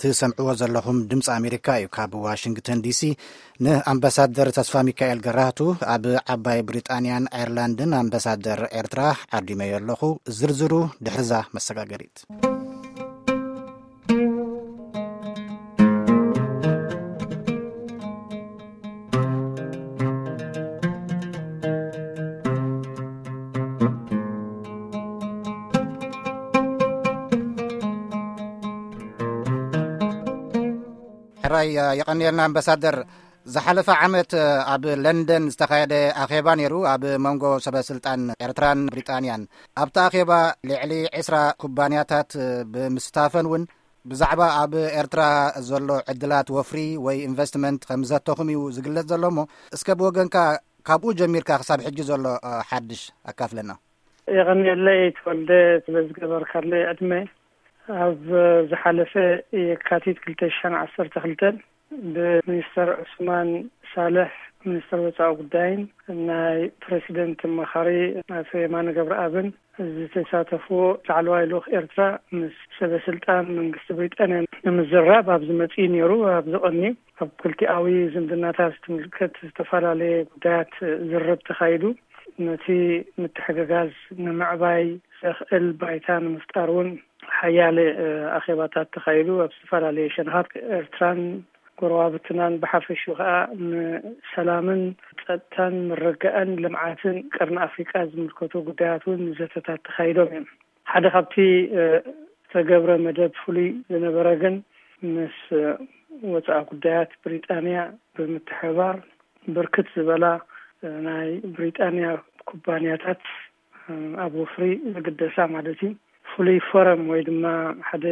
ትሰምዕዎ ዘለኹም ድምፂ ኣሜሪካ እዩ። ካብ ዋሽንግተን ዲሲ ንኣምባሳደር ተስፋ ሚካኤል ገራህቱ፣ ኣብ ዓባይ ብሪጣንያን ኣየርላንድን ኣምባሳደር ኤርትራ፣ ዓዲመዮ ኣለኹ። ዝርዝሩ ድሕርዛ መሰጋገሪት። ሕራይ፣ የቐንየልና ኣምባሳደር። ዝሓለፈ ዓመት ኣብ ለንደን ዝተኻየደ ኣኼባ ነይሩ፣ ኣብ መንጎ ሰበ ስልጣን ኤርትራን ብሪጣንያን። ኣብቲ ኣኼባ ልዕሊ ዕስራ ኩባንያታት ብምስታፈን እውን ብዛዕባ ኣብ ኤርትራ ዘሎ ዕድላት ወፍሪ ወይ ኢንቨስትመንት ከም ዘተኹም እዩ ዝግለጽ ዘሎ። እሞ እስከ ብወገንካ ካብኡ ጀሚርካ ክሳብ ሕጂ ዘሎ ሓድሽ ኣካፍለና። የቐንየለይ ተወልደ፣ ስለ ዝገበርካለይ ዕድመ። ኣብ ዝሓለፈ የካቲት ክልተ ሽሕን ዓሰርተ ክልተን ብሚኒስተር ዑስማን ሳልሕ፣ ሚኒስተር ወፃኢ ጉዳይን ናይ ፕሬሲደንት ኣማኻሪ ኣቶ የማነ ገብረኣብን ዝተሳተፉ ላዕለዋይ ልኡኽ ኤርትራ ምስ ሰበ ስልጣን መንግስቲ ብሪጣንያ ንምዝራብ ኣብዚ መፂኡ ነይሩ። ኣብዚ ቀኒ ኣብ ክልቲኣዊ ዝምድናታት ዝትምልከት ዝተፈላለየ ጉዳያት ዝርርብ ተኻይዱ። ነቲ ምትሕግጋዝ ንምዕባይ ዘኽእል ባይታ ንምፍጣር እውን ሓያለ ኣኼባታት ተኻይዱ። ኣብ ዝተፈላለየ ሸነኻት ኤርትራን ጎረባብትናን ብሓፈሽኡ ከዓ ንሰላምን ጸጥታን ምርግጋእን ልምዓትን ቀርኒ ኣፍሪቃ ዝምልከቱ ጉዳያት እውን ዘተታት ተኻይዶም እዮም። ሓደ ካብቲ ዝተገብረ መደብ ፍሉይ ዝነበረ ግን ምስ ወፃኢ ጉዳያት ብሪጣንያ ብምትሕብባር ብርክት ዝበላ ናይ ብሪጣንያ ኩባንያታት ኣብ ወፍሪ ዝግደሳ ማለት እዩ፣ ፍሉይ ፎረም ወይ ድማ ሓደ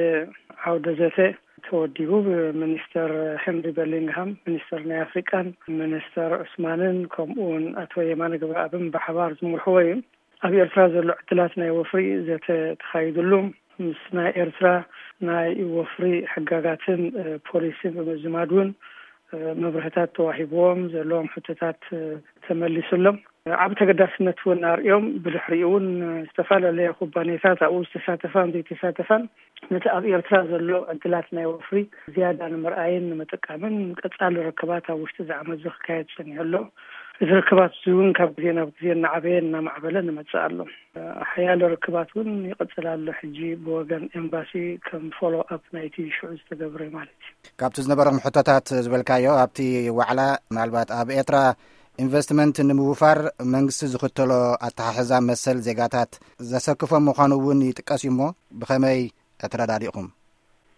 ዓውደ ዘተ ተወዲቡ። ብሚኒስተር ሄንሪ በሊንግሃም፣ ሚኒስተር ናይ ኣፍሪቃን፣ ሚኒስተር ዑስማንን ከምኡ እውን ኣቶ የማነ ገብረኣብን ብሓባር ዝመርሕዎ እዩ። ኣብ ኤርትራ ዘሎ ዕድላት ናይ ወፍሪ ዘተ ተኻይድሉ፣ ምስ ናይ ኤርትራ ናይ ወፍሪ ሕጋጋትን ፖሊሲን ብምዝማድ እውን መብርህታት ተዋሂብዎም፣ ዘለዎም ሕቶታት ተመሊሱሎም። ዓብ ተገዳስነት እውን ኣርእዮም። ብድሕሪኡ እውን ዝተፈላለያ ኩባንያታት ኣብኡ ዝተሳተፋን ዘይተሳተፋን ነቲ ኣብ ኤርትራ ዘሎ ዕድላት ናይ ወፍሪ ዝያዳ ንምርኣይን ንምጥቃምን ቀጻሊ ርክባት ኣብ ውሽጢ እዚ ዓመት እዚ ክካየድ ጸኒሑ ኣሎ። እዚ ርክባት እዚ እውን ካብ ግዜ ናብ ግዜ እናዓበየ እናማዕበለ ንመጽእ ኣሎ። ሓያለ ርክባት እውን ይቕጽል ኣሎ። ሕጂ ብወገን ኤምባሲ ከም ፎሎ ኣፕ ናይቲ ሽዑ ዝተገብረ ማለት እዩ። ካብቲ ዝነበረኩም ሕቶታት ዝበልካዮ ኣብቲ ዋዕላ፣ ምናልባት ኣብ ኤርትራ ኢንቨስትመንት ንምውፋር መንግስቲ ዝኽተሎ ኣተሓሕዛ መሰል ዜጋታት ዘሰክፎ ምዃኑ እውን ይጥቀስ እዩ። እሞ ብኸመይ ተረዳዲእኹም?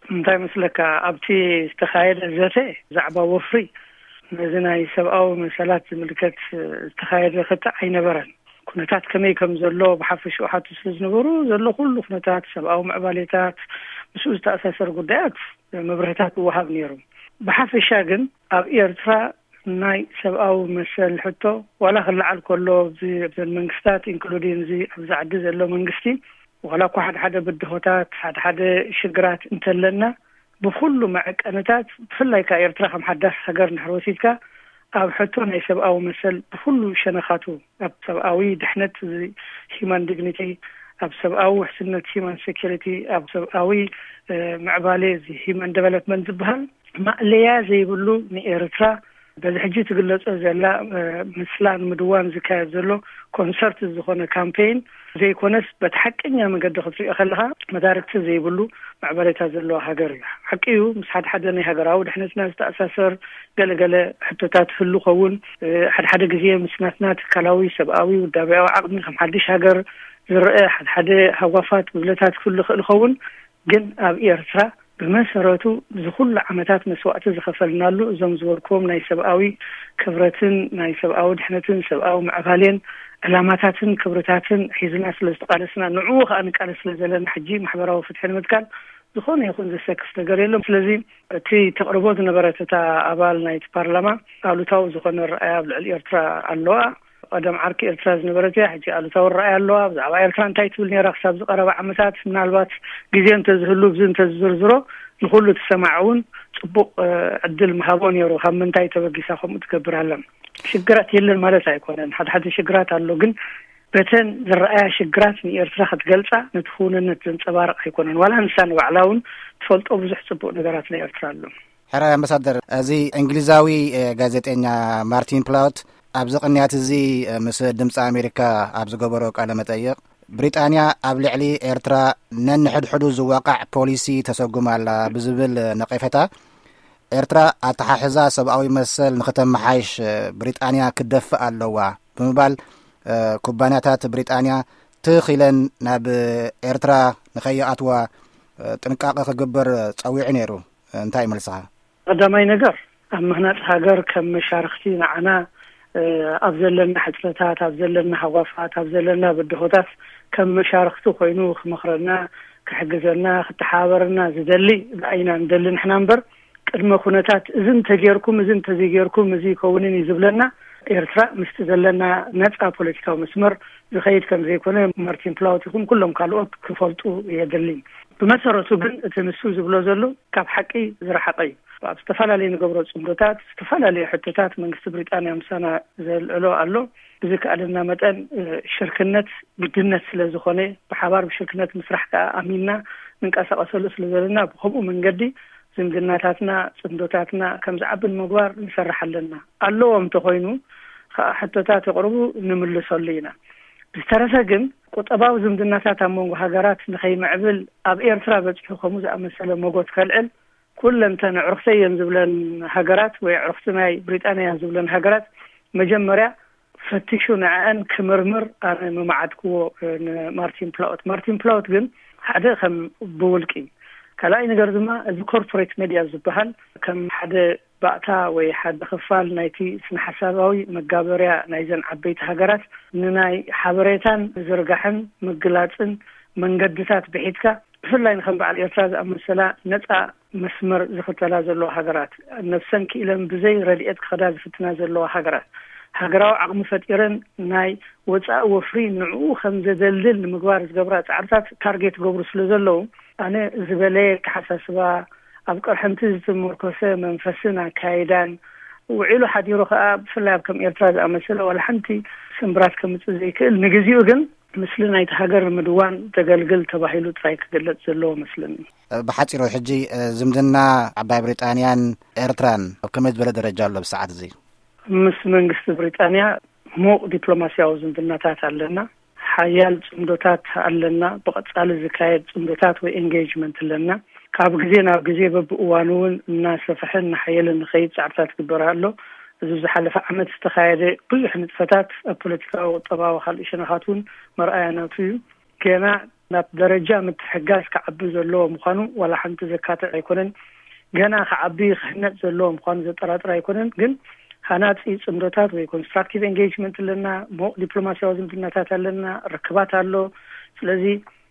እንታይ መስለካ፣ ኣብቲ ዝተኻየደ ዘተ ብዛዕባ ወፍሪ ነዚ ናይ ሰብኣዊ መሰላት ዝምልከት ዝተኻየደ ክትዕ ኣይነበረን። ኩነታት ከመይ ከም ዘሎ ብሓፈሽኡ ሓቱ ስለ ዝነበሩ፣ ዘሎ ኩሉ ኩነታት፣ ሰብኣዊ ምዕባሌታት፣ ምስኡ ዝተኣሳሰር ጉዳያት መብርህታት ይወሃብ ነይሩ። ብሓፈሻ ግን ኣብ ኤርትራ ናይ ሰብኣዊ መሰል ሕቶ ዋላ ክለዓል ከሎ፣ ኣብዚ ኣብዘን መንግስታት፣ ኢንክሉዲን እዚ ኣብዚ ዓዲ ዘሎ መንግስቲ፣ ዋላ እኳ ሓደ ሓደ ብድሆታት፣ ሓደ ሓደ ሽግራት እንተለና፣ ብኩሉ መዐቀንታት፣ ብፍላይ ከኣ ኤርትራ ከም ሓዳስ ሃገር እንድሕር ወሲድካ፣ ኣብ ሕቶ ናይ ሰብኣዊ መሰል ብኩሉ ሸነኻቱ፣ ኣብ ሰብኣዊ ድሕነት፣ እዚ ሂማን ዲግኒቲ፣ ኣብ ሰብኣዊ ውሕስነት፣ ሂማን ሴኪሪቲ፣ ኣብ ሰብኣዊ እ፣ ምዕባሌ፣ እዚ ሂማን ዴቨሎፕመንት ዝበሃል ማእለያ ዘይብሉ፣ ንኤርትራ በዚ ሕጂ ትግለጾ ዘላ፣ እ፣ ምስላ ንምድዋን ዝካየድ ዘሎ ኮንሰርት ዝኾነ ካምፔይን ዘይኮነስ፣ በቲ ሓቀኛ መገዲ ክትሪኦ ከለኻ፣ መዳርግቲ ዘይብሉ ምዕባሌታት ዘለዋ ሃገር እያ። ሓቂ እዩ፣ ምስ ሓደ ሓደ ናይ ሃገራዊ ድሕነትና ዝተኣሳሰር ገለ ገለ ሕቶታት ህሉ ኸውን፣ እ፣ ሓደ ሓደ ግዜ ምስ ናትና ትካላዊ፣ ሰብኣዊ፣ ውዳቤያዊ ዓቕሚ ከም ሓድሽ ሃገር ዝረአ፣ ሓደ ሓደ ሃጓፋት ጉድለታት ክህሉ ይኽእል ይኸውን። ግን ኣብ ኤርትራ ብመሰረቱ እዚ ኩሉ ዓመታት መስዋእቲ ዝኸፈልናሉ፣ እዞም ዝበልክዎም ናይ ሰብኣዊ ክብረትን ናይ ሰብኣዊ ድሕነትን ሰብኣዊ ምዕባሌን ዕላማታትን ክብርታትን ሒዝና ስለ ዝተቓለስና፣ ንዕኡ ከኣ ንቃለስ ስለ ዘለና፣ ሕጂ ማሕበራዊ ፍትሒ ንምትካል ዝኾነ ይኹን ዘሰክፍ ነገር የሎም። ስለዚ እቲ ተቕርቦ ዝነበረት እታ ኣባል ናይቲ ፓርላማ ኣሉታዊ ዝኾነ ረኣያ ኣብ ልዕሊ ኤርትራ ኣለዋ። ቀደም ዓርኪ ኤርትራ ዝነበረት እያ፣ ሕጂ ኣሉታዊ ረኣያ ኣለዋ። ብዛዕባ ኤርትራ እንታይ ትብል ነይራ ክሳብ ዝቐረበ ዓመታት? ምናልባት ግዜ እንተዝህሉ፣ ብዚ እንተዝዝርዝሮ፣ ንኹሉ እቲ ሰማዒ እውን ጽቡቕ፣ እ፣ ዕድል ምሃቦ ነይሩ። ካብ ምንታይ ተበጊሳ ከምኡ ትገብር ኣላ? ሽግራት የለን ማለት ኣይኮነን። ሓደ ሓደ ሽግራት ኣሎ፣ ግን በተን ዝረኣያ ሽግራት ንኤርትራ ክትገልጻ፣ ነቲ ክውንነት ዘንጸባርቕ ኣይኮነን። ዋላ ንሳ ንባዕላ እውን ትፈልጦ ብዙሕ ጽቡቕ ነገራት ናይ ኤርትራ ኣሎ። ሕራይ ኣምባሳደር፣ እዚ እንግሊዛዊ፣ እ፣ ጋዜጠኛ ማርቲን ፕላውት ኣብዚ ቅንያት እዚ፣ እ፣ ምስ ድምፂ ኣሜሪካ ኣብ ዝገበሮ ቃለ መጠይቕ፣ ብሪጣንያ ኣብ ልዕሊ ኤርትራ ነንሕድሕዱ ዝዋቃዕ ፖሊሲ ተሰጉም ኣላ ብዝብል ነቀፌታ፣ ኤርትራ ኣተሓሕዛ ሰብኣዊ መሰል ንክተመሓይሽ፣ እ፣ ብሪጣንያ ክትደፍእ ኣለዋ ብምባል፣ እ፣ ኩባንያታት ብሪጣንያ ትኽ ኢለን ናብ ኤርትራ ንኸይኣትዋ፣ እ፣ ጥንቃቐ ክግበር ጸዊዑ ነይሩ። እንታይ ይመልስኻ? ቀዳማይ ነገር፣ ኣብ ምህናጽ ሃገር ከም መሻርኽቲ ንዓና፣ እ፣ ኣብ ዘለና ሕጽረታት፣ ኣብ ዘለና ሃጓፋት፣ ኣብ ዘለና ብድሆታት ከም መሻርኽቲ ኮይኑ ክመኽረና፣ ክሕግዘና፣ ክተሓባበረና ዝደሊ ብኣይና ንደሊ ንሕና እምበር፣ ቅድመ ኩነታት፣ እዚ እንተጌርኩም፣ እዚ እንተዘይጌርኩም፣ እዚ ይከውንን እዩ ዝብለና፣ ኤርትራ ምስቲ ዘለና ነጻ ፖለቲካዊ መስመር ዝኸይድ ከም ዘይኮነ ማርቲን ፕላውት ይኹን ኩሎም ካልኦት ክፈልጡ የድሊ። ብመሰረቱ ግን እቲ ንሱ ዝብሎ ዘሎ ካብ ሓቂ ዝረሓቐ እዩ። ኣብ ዝተፈላለዩ ንገብሮ ጽምዶታት፣ ዝተፈላለዩ ሕቶታት መንግስቲ ብሪጣንያ ምሳና ዘልዕሎ ኣሎ። ብዝከኣለና መጠን፣ እ፣ ሽርክነት ግድነት ስለ ዝኾነ፣ ብሓባር ብሽርክነት ምስራሕ ከኣ ኣሚንና ንንቀሳቐሰሉ ስለ ዘለና፣ ብኸምኡ መንገዲ ዝምድናታትና፣ ጽምዶታትና ከም ዝዓቢ ንምግባር ንሰርሕ ኣለና። ኣለዎ እንተኾይኑ ከኣ ሕቶታት የቕርቡ፣ ንምልሰሉ ኢና። ብዝተረፈ ግን ቁጠባዊ ዝምድናታት ኣብ መንጎ ሃገራት ንኸይምዕብል ኣብ ኤርትራ በጺሑ ከምኡ ዝኣመሰለ መጎት ከልዕል ኩለንተን ኣዕሩኽተይ እየን ዝብለን ሃገራት ወይ ኣዕሩኽቲ ናይ ብሪጣንያ እየን ዝብለን ሃገራት መጀመርያ ፈቲሹ ንዕአን ክምርምር ኣነ ምመዓድክዎ፣ እ፣ ንማርቲን ፕላውት። ማርቲን ፕላውት ግን ሓደ ከም ብውልቂ፣ ካልኣይ ነገር ድማ እዚ ኮርፖሬት ሜድያ ዝበሃል ከም ሓደ ባእታ ወይ ሓደ ክፋል ናይቲ ስነ ሓሳባዊ መጋበርያ ናይዘን ዓበይቲ ሃገራት ንናይ ሓበሬታን ምዝርጋሕን ምግላጽን መንገድታት ብሒትካ፣ ብፍላይ ንከም በዓል ኤርትራ ዝኣመሰላ ነጻ መስመር ዝኽተላ ዘለዋ ሃገራት፣ ነብሰን ክኢለን ብዘይ ረድኤት ክኸዳ ዝፍትና ዘለዋ ሃገራት፣ ሃገራዊ ዓቕሚ ፈጢረን ናይ ወጻኢ ወፍሪ ንዕኡ ከም ዘደልድል ንምግባር ዝገብራ ጻዕርታት ታርጌት ገብሩ ስለ ዘለዉ፣ ኣነ ዝበለየ ኣተሓሳስባ፣ ኣብ ቅርሕንቲ ዝተመርኮሰ መንፈስን ኣካይዳን፣ ውዒሉ ሓዲሩ ከኣ ብፍላይ ኣብ ከም ኤርትራ ዝኣመሰለ ዋላ ሓንቲ ስምብራት ከምጽእ ዘይክእል፣ ንግዜኡ ግን ምስሊ ናይቲ ሃገር ንምድዋን ዘገልግል ተባሂሉ ጥራይ ክግለጽ ዘለዎ መስለኒ። ብሓጺሩ ሕጂ፣ እ፣ ዝምድና ዓባይ ብሪጣንያን ኤርትራን ኣብ ከመይ ዝበለ ደረጃ ኣሎ ብሰዓት እዚ? ምስ መንግስቲ ብሪጣንያ ምዉቕ ዲፕሎማስያዊ ዝምድናታት ኣለና። ሓያል ጽምዶታት ኣለና። ብቐጻሊ ዝካየድ ጽምዶታት ወይ ኤንጌጅመንት ኣለና። ካብ ግዜ ናብ ግዜ በብእዋኑ እውን እናሰፍሐን እናሓየለን ንኸይድ ጻዕርታት ይግበር ኣሎ። እዚ ዝሓለፈ ዓመት ዝተኻየደ ብዙሕ ንጥፈታት ኣብ ፖለቲካዊ፣ ቁጠባዊ፣ ካልእ ሸነኻት እውን መርኣያ ናቱ እዩ። ገና ናብ ደረጃ ምትሕጋዝ ክዓቢ ዘለዎ ምዃኑ ዋላ ሓንቲ ዘካትዕ ኣይኮነን። ገና ክዓቢ ክህነጽ ዘለዎ ምዃኑ ዘጠራጥር ኣይኮነን። ግን ሃናጺ ጽምዶታት ወይ ኮንስትራክቲቭ ኤንጌጅመንት ኣለና፣ ምዉቕ ዲፕሎማስያዊ ዝምድናታት ኣለና፣ ርክባት ኣሎ። ስለዚ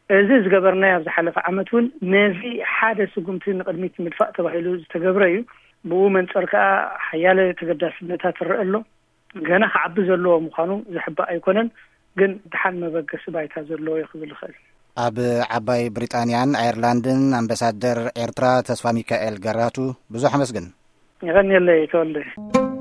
እዚ ዝገበርናዮ ኣብ ዝሓለፈ ዓመት እውን ነዚ ሓደ ስጉምቲ ንቕድሚት ንምድፋእ ተባሂሉ ዝተገብረ እዩ። ብኡ መንጸር ከኣ ሓያለ ተገዳስነታት ይረአ ኣሎ። ገና ክዓቢ ዘለዎ ምዃኑ ዝሕባእ ኣይኮነን፣ ግን ደሓን መበገሲ ባይታ ዘለዎ እዩ ክብል ይኽእል። ኣብ ዓባይ ብሪጣንያን ኣየርላንድን ኣምባሳደር ኤርትራ ተስፋ ሚካኤል ገራቱ፣ ብዙሕ ኣመስግን። የቐንየለይ ተወልደ።